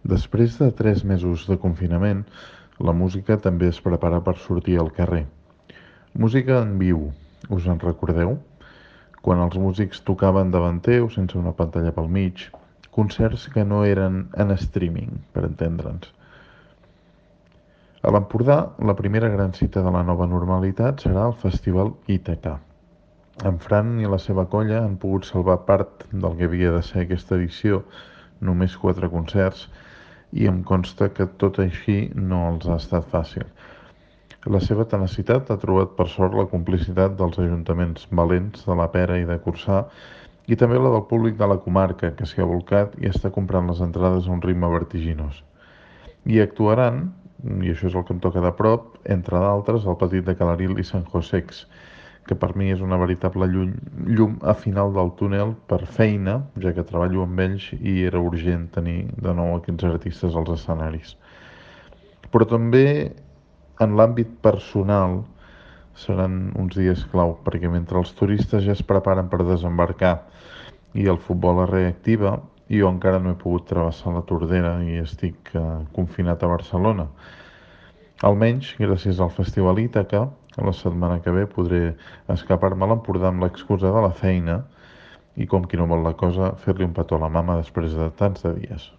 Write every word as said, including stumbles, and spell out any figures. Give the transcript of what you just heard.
Després de tres mesos de confinament, la música també es prepara per sortir al carrer. Música en viu, us en recordeu? Quan els músics tocaven davant teu sense una pantalla pel mig, concerts que no eren en streaming, per entendre'ns. A l'Empordà, la primera gran cita de la nova normalitat serà el Festival Ítaca. En Fran i la seva colla han pogut salvar part del que havia de ser aquesta edició, només quatre concerts, i em consta que tot així no els ha estat fàcil. La seva tenacitat ha trobat per sort la complicitat dels ajuntaments valents de la Pera i de Corçà i també la del públic de la comarca, que s'hi ha volcat i està comprant les entrades a un ritme vertiginós. I actuaran, i això és el que em toca de prop, entre d'altres, el Petit de Calaril i Sant Josex, que per mi és una veritable llum, llum a final del túnel per feina, ja que treballo amb ells i era urgent tenir de nou aquests artistes als escenaris. Però també en l'àmbit personal seran uns dies clau, perquè mentre els turistes ja es preparen per desembarcar i el futbol es reactiva, jo encara no he pogut travessar la Tordera i estic eh, confinat a Barcelona. Almenys, gràcies al Festival Ítaca, la setmana que ve podré escapar-me a l'Empordà amb l'excusa de la feina i, com qui no vol la cosa, fer-li un petó a la mama després de tants de dies.